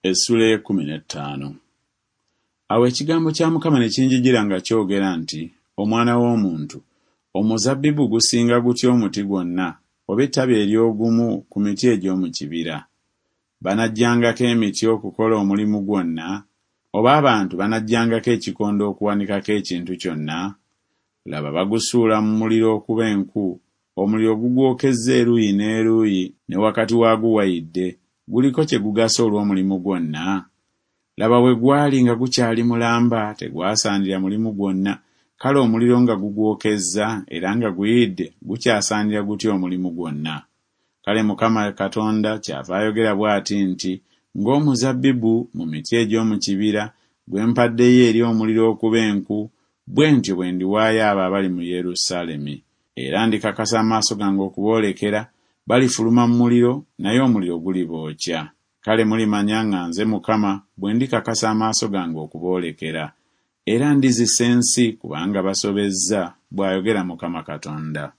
Essuula ey'ekkumi n'ettaano. Awo ekigambo kya Mukama ne kinjijira nga kyogera nti Omwana w'omuntu, omuzabbibu gusinga gutya omuti gwonna, oba ettabi ery'ogumu ku miti egy'omu kibira? Banaggyangako emiti okukola omulimu gwonna, oba abantu banaggyangako ekikondo okuwanikako ekintu kyonna? Laba, bagusuula mu muliro okuba enku, omuliro gugwokezza eruuyi n'eruuyi, ne wakati waagwo wayidde, guliko kye gugasa olw'omulimu gwonna? Laba, bwe gwali nga gukyali mulamba tegwasaanira mulimu gwonna, kale omuliro nga gugwokezza era nga guyidde gukyasaanira gutya omulimu gwonna? Kale Mukama Katonda kyava ayogera bw'ati nti Ng'omuzabbibu mu miti egy'omu kibira, gwe mpaddeyo eri omuliro okuba enku, bwe ntyo bwe ndiwaayo abo abali mu Yerusaalemi. Era ndikakasa amaaso gange okuboolekera, balifuluma mu muliro, naye omuliro gulibookya. Kale mulimanya nga nze Mukama bwe ndikakasa amaaso gange okuboolekera. Era ndizisa ensi kubanga basobezza, bw'ayogera Mukama Katonda.